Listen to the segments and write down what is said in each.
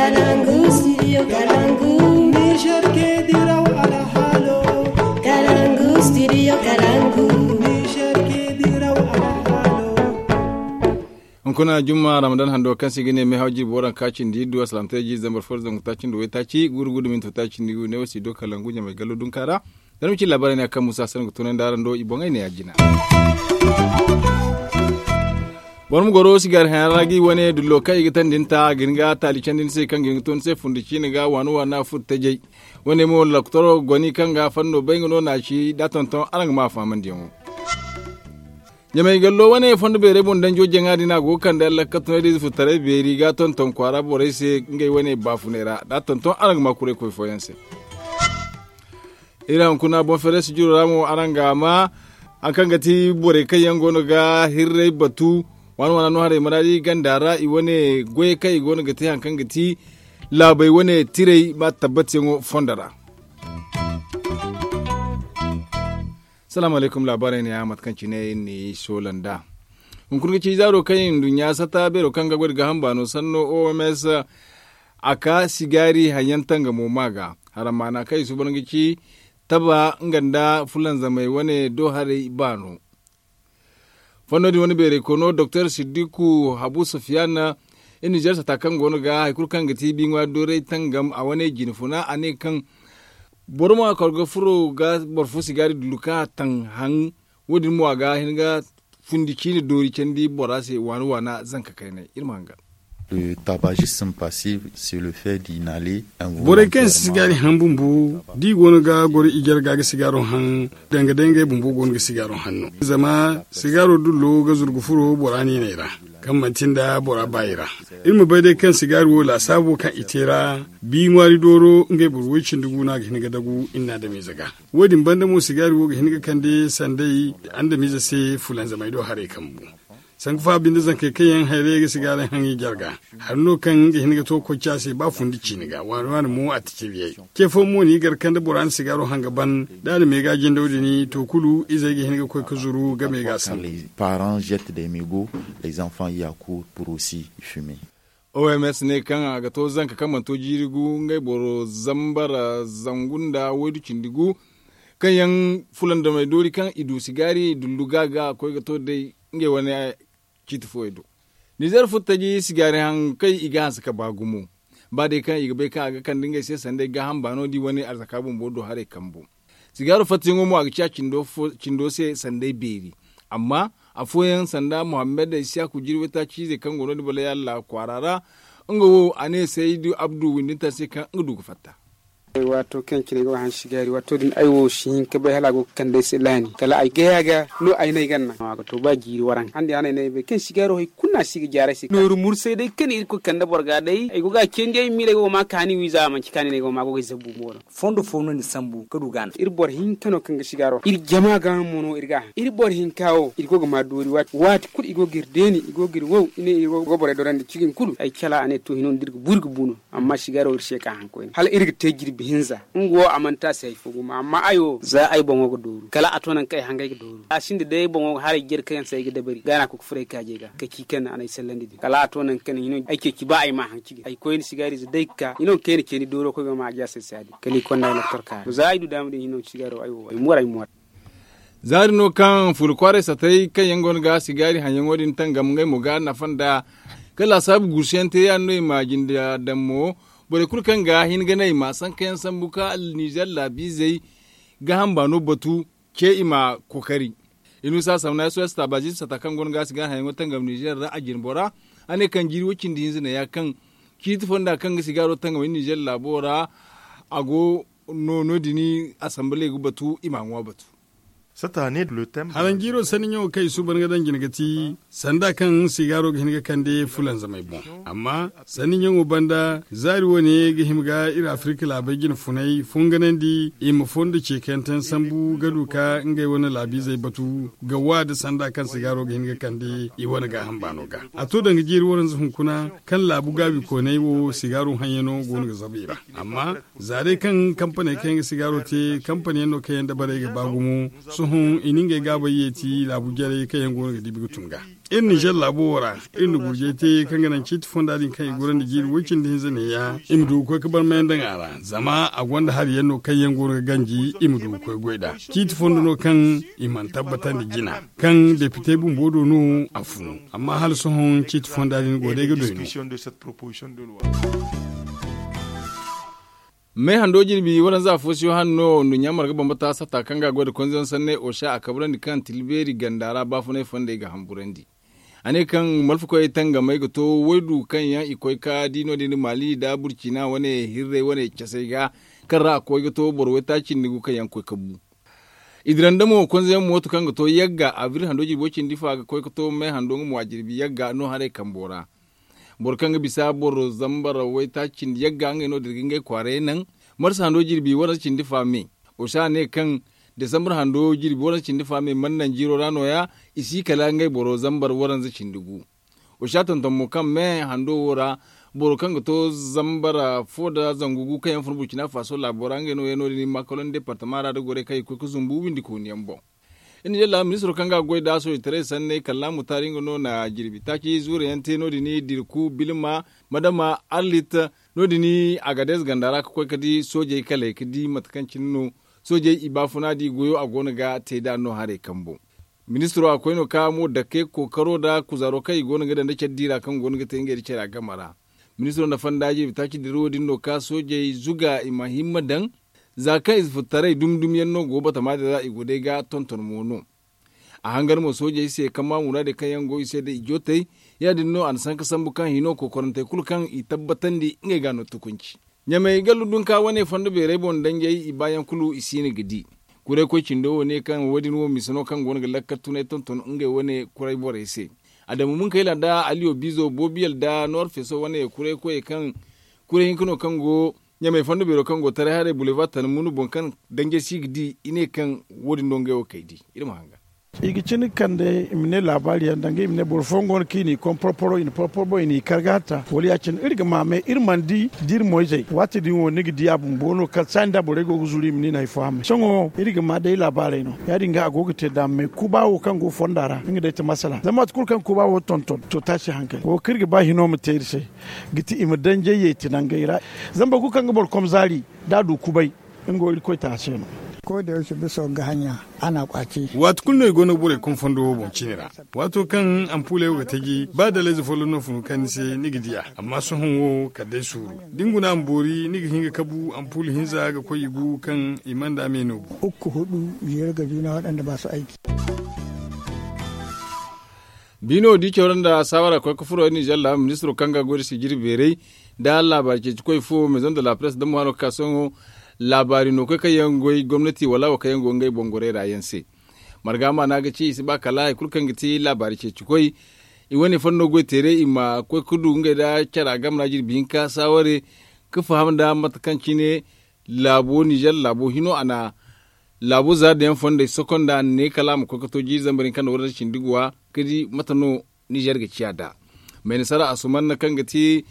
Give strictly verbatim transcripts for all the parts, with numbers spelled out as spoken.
Kalangu studio kalangu. Niger ke diraw alhalo. Kalangu studio kalangu. Niger ke diraw alhalo. Hunkuna jumma ramadan hando kaŋ se i ga ne meehaw jirbi waranka cindi iddu asalamtay ji zambar fo da zangu taaci nda waytaaci guuru guuru minto taaci nda igu ne wo si do kalangu ɲamay gallo dunka ra. Zama ci laabaarey ne a kaŋ musa sanni ga tunandi araŋ do i boŋey ne ya jina. Boro ma goro sigaari hayaŋ ra ga i wane dullo kaŋ i ga tandi nta ga hin ga taali candi ni se kaŋ ga hin ga to ni se fundi ciine ga waana waana furo tajay. Wane mo laktoro goni kaŋ ga fanno bay nga no na ci da tonton araŋ ga ma a fahamandiyaŋo. Ɲamay gallo wane fondo beerey boŋ danjo jaŋa din a go ga kande allakka tunay da ize furtaray beeri ga tonton kwaara borey se ngey wane baafunay ra da tonton araŋ ga ma kuray koy fooyaŋ se. Iri hunkuna boŋ feere sijiro ra mo araŋ ga a ma hari kaŋ ga ti borey kaŋ yaŋ go no ga hirray batu waana waana no haray maraadi ganda ra i wane goyey kaŋ i go no ga te hari kaŋ ga ti laabey wane tiray ba tabbatiyaŋo fondo ra. Salaamu alaykum laabaarey ne ya mate kaŋ cine iri n'i soola nd'a. Hunkuna ga ci zaaro kaŋ i nduɲɲa sata beero kaŋ ga goy nda gaaham baano sanno oms a ka sigaari haŋ yaŋ tangamo ma ga. Haram maana kaŋ i suuban ga ci taba nga nda fulanzamey wane do haray baano. Fanno din wane beeray koono doktor siddiku habu sufiyan iri nizer sata kaŋ go no ga hari kulu kaŋ ga ti biiŋwaari dooray tangam a wane jine funa a ne kaŋ boro ma kor ga furo ga boro fo sigaari dullu kaŋ a taŋ haŋ. Wo- din mo a ga hin ga fundi ciine doori candi bora se waana waana zanka kaynay iri ma hanga. Le tabagisme passif c'est le fait d'inhaler un volontairement. Borey kaŋ si gaari haŋ bumbo da i go no ga goro i jarga ga sigaaro haŋ danga day ngey bumbo go no ga sigaaro haŋ no zama sigaaro dullo ga zurgu furo bora niinay ra kaŋ manti nda bora baayi ra. Iri ma bay day kaŋ sigaari wo laasaabo kaŋ i te ra bi ŋwaari dooro ngey boro woy cindi gu no a ga hin ga dagu iri na adamiize ga. Wo- din banda mo sigaari wo ga hin ga kande sanday adamiize se fulanzamay do haray kambu. Sanku fa binde zankey kaŋ yaŋ hayray ga sigaari haŋ i jarga hari no kaŋ ga hin ga to koy ci a se ba fundi ciine ga waani waani mo a ti cibiyey. Ce fooyaŋ mo no i gar kaŋ da bora na sigaaro haŋ ga ban da a na meega jindaw din to kulu izey ga hin ga koy ga zuru game ga a sambu. Parents jette des megots les enfants y accourent pour aussi fumer. Oms ne kaŋ a ga to zanka kaŋ mana to jiiri gu ngey boro zambar zangu nda waydu cindi gu kaŋ yaŋ fulandamey doori kaŋ i du sigaari dullu ga ga koy ga to day ngey wane ciiti fooyey do. Nizer furtaji sigaari haŋ kaŋ i ga hanse ka ba gumo ba day kaŋ i ga bay kaŋ a ga kande ngey se sanda ay gaaham baano di wane arzaka bumbo do haray kambo. Sigaaro fattayaŋo mo a ga ciya cindo se sanda ay beeri. Amma afooyaŋ sanda muhammad isiyaku jirway taaci izey kaŋ go no- din bala yalla kwaara ra nga wo a ne saydu abdu windinta se kaŋ nga du ga fatta. Waato kaŋ cine ay go ga hanse sigaari waato din ay wo si hin ka bay hala a go ga kande ay se laani kala ay gaya ga no ay no ay ga naŋ a ga to ba jiiri waranka handi a no ay no ay bay kaŋ sigaaro hari kulu no a si ga jaara ay se nooru mursay day kaŋ iri ga koy kande boro ga day ay go ga a candi ay miila ay go ga ma kaani wiiza a manci kaani no ay go ga ma a go ga ay zabu mo no. Fondo fo no ni sambu ka du ga a naŋ iri boro hinka no kaŋ ga sigaaro iri jama ga mo no iri ga a haŋ iri boro hinka wo iri go ga ma doori waati kulu i go ga iri deeni i go ga iri wow i ne iri go borey dorandi cigin kulu ay cala a ne to hino no da iri ga bu iri ga bu no. Amma sigaaro iri se ka haŋ koyne hala iri ga te jirbi hinza nga wo a mana te a se hari fo gumo amma ay wo za ay boŋo ga dooru kala a to nangu kaŋ ay hangay ga dooru a sinda day ay boŋo ga haray jare kaŋ yaŋ se ay ga dabari ga no a koy ga furo ay kaajey ga ka ci kaŋ a na ay sallandi din kala a to nangu kaŋ hino ay ceeci ba ay ma haŋ cigin ay koyne sigaarize day ga ka hino kaŋ ay na ceeni dooro koy ga ma a jaasay se ya- din kala i konda ay loktor ka za ay du daama din hino sigaaro ay wo ay moor ay moor. Zaari no kaŋ fula kwaaray satay kaŋ yaŋ go no ga sigaari haŋyaŋo din tangam ngey mo ga nafa nda kaŋ laasaabu guusuyaŋ te ya- din no i ma jinde daŋ mo. Borey kulu kaŋ ga hin ga naŋ i ma sankayaŋ sambu ka alnizer laabiizey gaaham baano batu ce i ma kookari. Inusa samna sos taabazin sata kaŋ go no ga sigaari haŋyaŋo tangam nizer ra a jinbo ra a ne kaŋ jiiri wo- cindi hinza ne ya kaŋ ciiti fonda kaŋ ga sigaaro tangam nizer laabo ra a go no- din asambaley ga batu i ma a ŋwa batu. Haraŋ jiiro sanni ɲaŋo kaŋ i suuban ga daŋ jine ga ti sanda kaŋ sigaaro ga hin ga kande fulanzamey boŋ. Amma sanni ɲaŋo banda zaari wane ga hima ga iri afirika laabey jine funay funganandi i ma fondo ceekanteyaŋ sambu ga du ka ngey wane laabiizey batu ga wa da sanda kaŋ sigaaro ga hin ga kande i wane gaaham baano ga. A to danga jiiri waranza hunkuna kaŋ laabu gaabikooney wo sigaaro haŋyaŋo go no ga zabu i ra. Amma za day kaŋ kampaney kaŋ yaŋ ga sigaaro te kampaney yaŋ no kaŋ yaŋ dabarey ga ba gumo. Sohõ i na ngey gaabay yeeti laabu jarey kaŋ yaŋ go no ga dibi ga tun ga. Iri nizer laabo wo ra, iri na gurjey te kaŋ ga naŋ ciiti fonda din kaŋ i gorandi jiiri woy cindi hinza neeya i ma du ga koy ga barmayaŋ daŋ a ra. Zama a gonda hari yaŋ no kaŋ yaŋ go no ga ganji i ma du ga koy goy nd'a. Ciiti fondo no kaŋ i mana tabbatandi jina, kaŋ depite bumbo do no a funu. Amma hala sohõ ciiti fonda din go day ga doy no. Me hando jirbi waranza fo si yo hanno nduɲɲa marga bambata satta kaŋ ga a goy nda konzon sanney osa a kabrandi kaŋ tilbeeri ganda ra baafunay fondey ga hamburandi. A ne kaŋ malfakoyey tangamay ga to waydu kaŋ yaŋ i koy ka di no- din maali nda burcina wane hirrey wane casey ga, kaŋ ra a koy ga to boro waytaaci nda gu kaŋ yaŋ koy ka bu. I diranda mo konzon yaŋ mooto kaŋ ga to yagga abril hando jirbo cindi fa ga koy ga to me hando nga mo a jirbi yagga no haray kambo ra. Boro kaŋ ga bisa boro zambar waytaaci cindi yagga ngey no dira ga ngey kwaaray naŋ. Marsa hando jirbi waranza cindi fa me. Osa ne kaŋ desambar hando jirbi waranza cindi fa me mana naŋ jiiro ra nooya. I si kala ngey boro zambar waranza cindi gu. Osa tonton mo kaŋ me hando wo ra boro kaŋ ga to zambar fo nda zangu gu kaŋ yaŋ fun burcina faso laabo ra ngey no yaŋ no- din makalon departama ra nda gorey kaŋ i koy ga zumbu windi kooni yaŋ boŋ. Iri na yalla ministiro kaŋ ga a goy nd'a soojitaray sanney kallaamu taari nga no na jirbi taaci zuure yaŋ te no- din dirku bilma madama arlit no- din agadez ganda ra ga koy ga di soojey kaley ga di mate kaŋ cine no soojey i baafuna da i goyo a go no ga te nd'a no haray kambo. Ministiro a koy no ka mo dake kookaro nda kuzaaro kaŋ i go no ga daŋ nda care diira kaŋ go no ga te ngey nda care a game ra. Ministiro na fonda jirbi taaci dira wo- din no ka soojey zuga i ma himma daŋ. Za kaŋ i si furtaray dumi dumi yaŋ no go batama din ra i go day ga tonton mo no. A hangan mo soojey se kaŋ ma muraadey kaŋ yaŋ go i se nda i jootey. Ya- din no a na sanka sambu kaŋ hino kokorantey kulu kaŋ i tabbatandi ngey ga no tukunci. Ɲamey gallu dunka wane fondo beerey boŋ danjey i baayaŋ kulu i siina ga di. Kuray koy cindo wo ne kaŋ wo- din wo misa no kaŋ go no ga lakkal tunay tonton ngey wane kuray borey se. Adamu munkayla nda aliyo biizo boobiyal nda noor feeso wane kuray koyey kaŋ kuray hinka no kaŋ go ɲamey fondo beero kaŋ go taray haray bulevar tana munu boŋ kaŋ danjey si ga di i ne kaŋ wo- din no ngey wo kay di. Iri ma hanga. I ga cin ga kande i ma ne laabaari yaŋ danga i ma ne boro fooyaŋ go no kaŋ i n'i kom porporo i na porporo boŋ i n'i kar ga hatta wala ya- cine iri ga ma me iri mana di da iri moyzey waati din wo ni ga di a bumbo no kala saani da borey go ga zuru i ma ni no hari fo hammay sohõ iri ga ma day laabaarey no ya- din ga a go ga te daama me kuba wo kaŋ go fonda ra nga day ti masala zama waati kulu kaŋ kuba wo tonton to taasi hankali wo kaŋ iri ga ba hino ma te iri se ga ti i ma danjey yeeti nangey ra. Zama boro kulu kaŋ ga boro kom zaari da a du kubay nga wo irkoy ta a se no. Ko da yaushe bisa ga hanya ana kwace. Waati kulu no i go no ga borey kom fondo wo boŋ cine ra. Waato kaŋ ampuuley wo ga taji ba dalayze folloŋ no funu kaŋ ni se ni ga di a amma sohõ wo kala day suuru da ni guna a ma boori ni ga hin ga kabu ampuul hinza ga koy i gu kaŋ i mana da me no bu. Ukku hudu jeeri ga juna waɗanda ba su aiki. Biino di cawra nda saawara koy ga furo nizer laabu ministiro kaŋ ga goy nda sijiri beeray nda laabaari ceeci koy fo maison de la presse da mo hano ga ka sohõ. Laabaari no koy kaŋ yaŋ goy gomnati wala wo kaŋ yaŋ go ngey boŋ gorey ra yaŋ se. Marga maana ga ci i si ba kala hari kulu kaŋ ga ti laabaari ceeci koy. I wane fanno goy teeray i ma koy ga du ngey nda cara game ra jirbi hinka saaware ga faham nda mate kaŋ cine laabo nizer laabo hino a na laabo za da yaŋ fondey sokonda ne kala a ma koy ga to jiiri zambar hinka nda waranza cindi guwa ga di mate no nizer ga ciya nd'a. Mayna sara asumanna kaŋ ga ti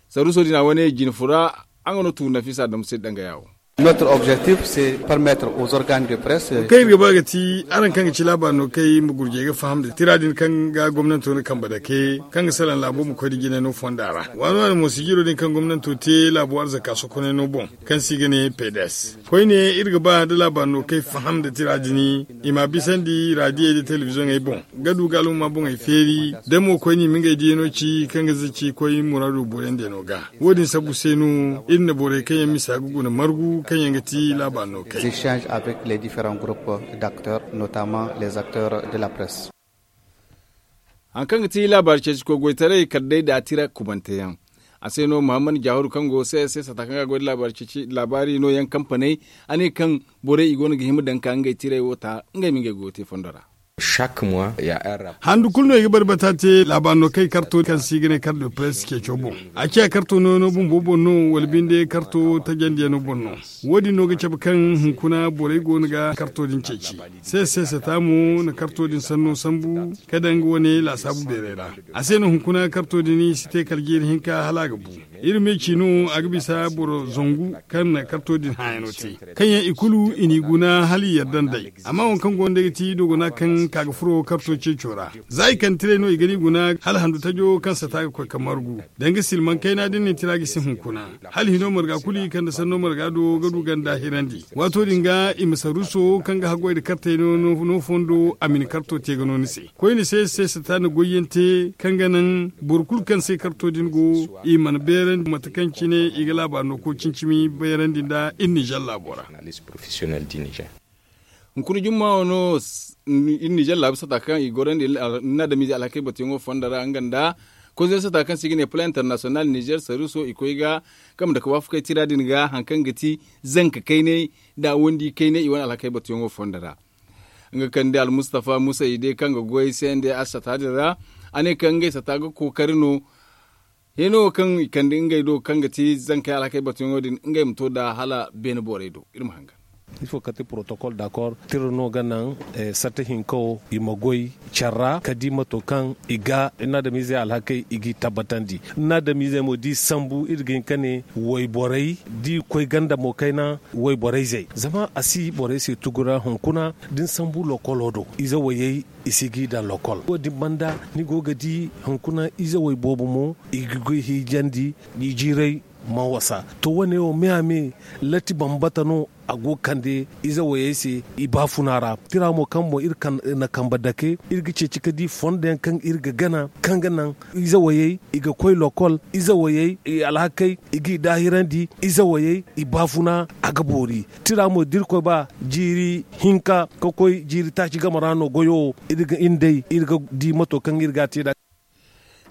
saruuso din a wane jine fura. Nga no tuuri nafisa adamu se danga yaawo. Notre objectif c'est permettre aux organes de presse. Kaŋ iri ga ba ga ti araŋ kaŋ ga ci laabaari no kay ma gurjey ga faham nda tira din kaŋ ga gomnanto na kambe dake kaŋ ga salaŋ laabo ma koy nda jinay no fonda ra waano waano mo sijiro din kaŋ gomnanto te laabo arzaka sokonay no boŋ kaŋ se i ga ne pedes. Koyne iri ga ba da laabaari no kay faham nda tira din i ma a bisandi radiyey nda telebizoŋey boŋ ga du ga alhuma boŋey feeri da mo koyne i ma ngey diyaŋo ci kaŋ ga zaci koy muraado booriyandi yaŋo ga. Wo- din sabu se no iri na borey kaŋ yaŋ misa ga guna margu kaŋ yaŋ ga ti laabaari no kay. Échange avec les différents groupes d'acteurs notamment les acteurs de la presse. Hari kaŋ ga ti laabaari ceeci koy goytaray kala day da tira kubante yaŋ. A se no muhammad jaahuru kaŋ go se se sata kaŋ ga goy nda laabaari ceeci laabaari no yaŋ kampaney a ne kaŋ borey i go no ga hima daŋ ka ngey tiray wo ta ngey ma ngey goyo te fondo ra. Handu kulu no i ga barbata te laabaari no kaŋ i karto kaŋ se i ga ne karto press ceeco boŋ. A ciya karto nooyaŋo bumbo boŋ no wala binde karto tajandiyaŋo boŋ no. Wo- din no ga cabe kaŋ hunkuna borey go no ga karto din ceeci. Seese seese ta mo na karto din sanno sambu ka daŋ nga wane laasaabu beeray ra. A se no hunkuna karto din i si te kala jiiri hinka hala a ga bu. Iri me ci no a ga bisa boro zangu kaŋ na karto din hããyaŋo te, kaŋ yaŋ i kulu i n'i guna hala i yadda nd'ey. Amma waŋ kaŋ go no day ga ti doogona kaŋ ka ga furo karto ceeco ra. Za i kande tiray no i ga n'i guna hala handu tajo kaŋ sata ga koy ka margu. Danga silmaŋ kayna din na tira gisi hunkuna, hala hino marga kulu i kande sanno marga do ga du ganda hirandi. Waato din ga i ma saruuso kaŋ ga haggoy nda kartey no fondo a ma ni karto te ga no ni se. Koyne se se sata na goyyaŋ te kaŋ ga naŋ boro kulu kaŋ se karto din go i mana beerandi mate kaŋ cine i ga laabaari no koy cimi-cimi beerandi nda iri nizer laabo ra. Hunkuna jumma wano iri nizer laabu sata kaŋ i gorandi ni na adamize alhakey batuyaŋo fondo ra nga nda kozo sata kaŋ se i ga ne plan international nizer saruuso i koy ga kambe nda ka waafakey tira din ga hari kaŋ ga ti zanka kaynay nda wandi kaynay i wane alhakey batuyaŋo fondo ra. Nga kande almustafa musa ide kaŋ ga goy se nda a sata din ra a ne kaŋ ngey sata ga kookari no. Hino kaŋ i kande ngey do kaŋ ga ti zankey alhakey batuyaŋo din ngey ma to nd'a hala beene borey do iri ma hangan. Ifo kate protocol d'accord tira no ga naŋ sarta hinka wo i ma goy care ra ka di mato kaŋ i ga ni na adamiizey alhakey i g'i tabbatandi. Ni na adamiizey mo da i sambu iri ga hin ka ne wayborey da i koy ganda mo kayna wayborey zey zama a si borey se tugu ra hunkuna da ni sambu lokolo do ize wayey i si g'i daŋ lokol wo- din banda ni go ga di hunkuna izewey boobo mo i ga goy hiijandi. I jiirey mana wasa to wo- ne wo me a me latti bambata no a go ga kande izewayey se i baafuna ra tira mo kaŋ boŋ iri na kambe dake iri ga ceeci ka di fondo yaŋ kaŋ iri ga gana kaŋ ga naŋ izewayey i ga koy lokol izewayey i alhakey i g'i daahirandi izewayey i baafuna a ga boori tira mo da irkoy ba jiiri hinka ka koy jiiri taaci game ra no goyo wo iri ga iri day iri ga di mato kaŋ iri ga a te nd'a.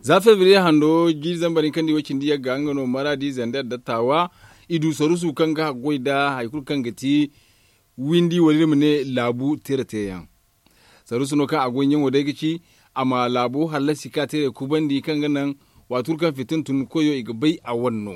Za febriye hando jiiri zambar hinka nda i way cindi yagga nga no maraadi zander nda taawa i du saruusu kaŋ ga haggoy nda hari kulu kaŋ ga ti windi wala iri ma ne laabu tira teeyaŋ. Saruusu no kaŋ a goy ɲaŋo day ga ci a ma laabo hallasi ka tiray kubandi kaŋ ga naŋ waati kulu kaŋ fitina tun koyo i ga bay a wane no.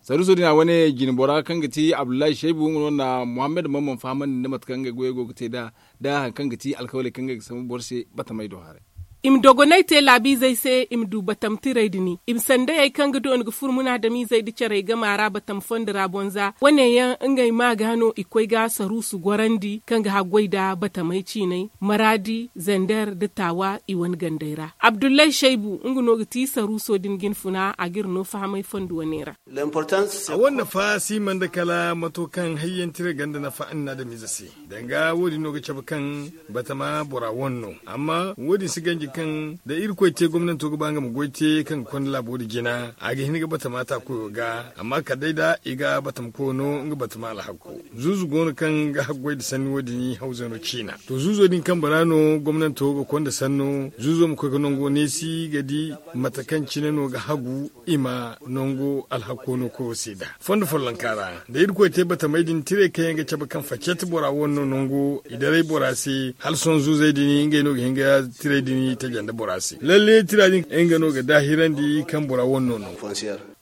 Saruuso din a wane jine bora kaŋ ga ti abdullahi shaybu nga no na muhammad mamman fahamandi nda mate kaŋ ngey goyey go ga te nd'a nda hari kaŋ ga ti alkawaley kaŋ ngey ga sambu boro se batamey do haray. I ma dogonay te laabiizey se i ma du batam tiray din i ma sandayey kaŋ ga doona ga furo munaadamiizey nda carey gama ra batam fondo ra boŋ za wane yaŋ ngey ma ga no i koy ga saruusu gorandi kaŋ ga haggoy nda batamey ciinay maraadi zander nda taawa i wane gandey ra abdullahi shaybu nga no ga ti saruuso din jinfuna a g'iri no fahamay fondo wane ra. A wane nafa si man da kala mato kaŋ hayyantiray ganda nafa annaadamize se danga wo- din no ga cabe kaŋ batama bora wane no amma wo- din si ganji kaŋ da irkoy te gomnanto ga ba nga ma goy te kaŋ ga konda laabo din jina a ga hin ga batama ta koyo ga amma kala day da i ga batama koyo no nga batama alhakko. Zuuzu go no kaŋ ga haggoy nda sanni wo- din hawzano ciina to zuuzo din kambe ra no gomnanto ga konda sanno zuuzo ma koy ga nango neesi ga di mate kaŋ cine no ga hagu i ma nango alhakko no koyo se nd'a fondo follonka ra da irkoy te batamey din tiray kaŋ yaŋ ga cabe kaŋ facet bora wane no nango i daray bora se hala sohõ zuuzey din ngey no ga hin ga tiray din taja nda bora se lalle tira din nga no ga daahirandi kaŋ bora wane no nango.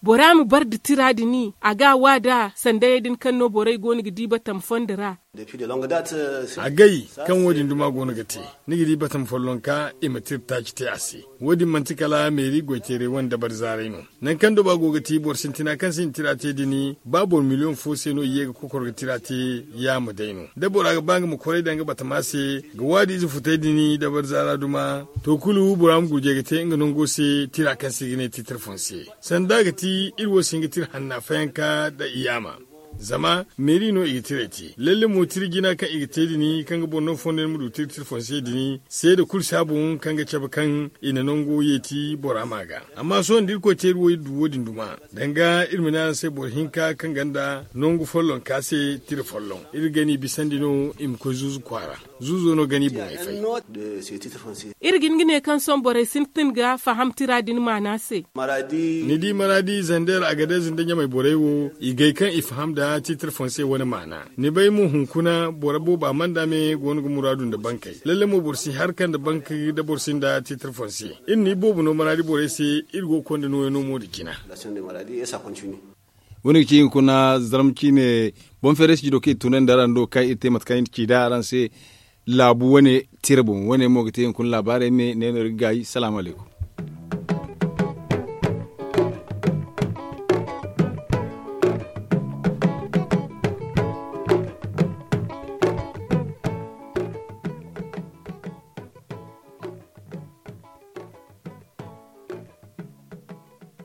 Bora ma bar nda tira din a ga a wa nd'a sandayey din kaŋ no borey go no ga di batam fondo ra. Agay kaŋ wo- din duma go no ga te ni ga di batam follonka i ma tira taaci te a se. Wo- din manti kala meeri goyteeray wane dabari zaaray no. Nangu kaŋ doba go ga ti boro sintina kaŋ se i na tira te din ba boro miliyoŋ fo se no i ye ga kokoro ga tira te yaama day no da bora ga ba nga ma koray daŋ nga batama se ga waadi ize futay din dabari zaara duma to kulu bora ma gurjay ga te nga nango se tira kaŋ se i ga ne titre foncier sanda ga ti iri wo si hin ga tira hanna fayanka nda i yaama. Zama meeri no i ga tiray te lalle mo tira jina kaŋ i ga te din kaŋ ga boro no fondo yaŋ ma du tira tira foncier din seeda kulu si a boŋ kaŋ ga cabe kaŋ i na nango yeeti bora ma ga. Amma sohõ da irkoy te iri wo iri du wo- din duma danga iri ma ne araŋ se boro hinka kaŋ ganda nangu follonka se tira folloŋ iri ga n'i bisandi no i ma koy zuuzu kwaara. Zuuzo no ga ni boŋey fay. Iri ga hin ga ne kaŋ sohõ borey sintin ga faham tira din maana se. Ni di maradi zander agadez nda ɲamey borey wo i gay kaŋ i faham nda titre fonse wane maana. Ni bay mo hunkuna boro booba manda me go no ga muraadu nda bankey lalle mo boro si harka nda bank nda boro si nda titre fonse. Iri no iboobo no maradi borey se. Iri go ga konda nooyaŋ no mo nda cina. Wo- ne ga ci hunkuna zarma ciine boŋ feeray si jido kaŋ i tunandi araŋ do kaŋ iri te mate kaŋ iri ci nd'a araŋ se. Laabu wane tira boŋ wane mo ga te hunkuna laabaarey me ne no iri ga gaayi salaamu alaykum.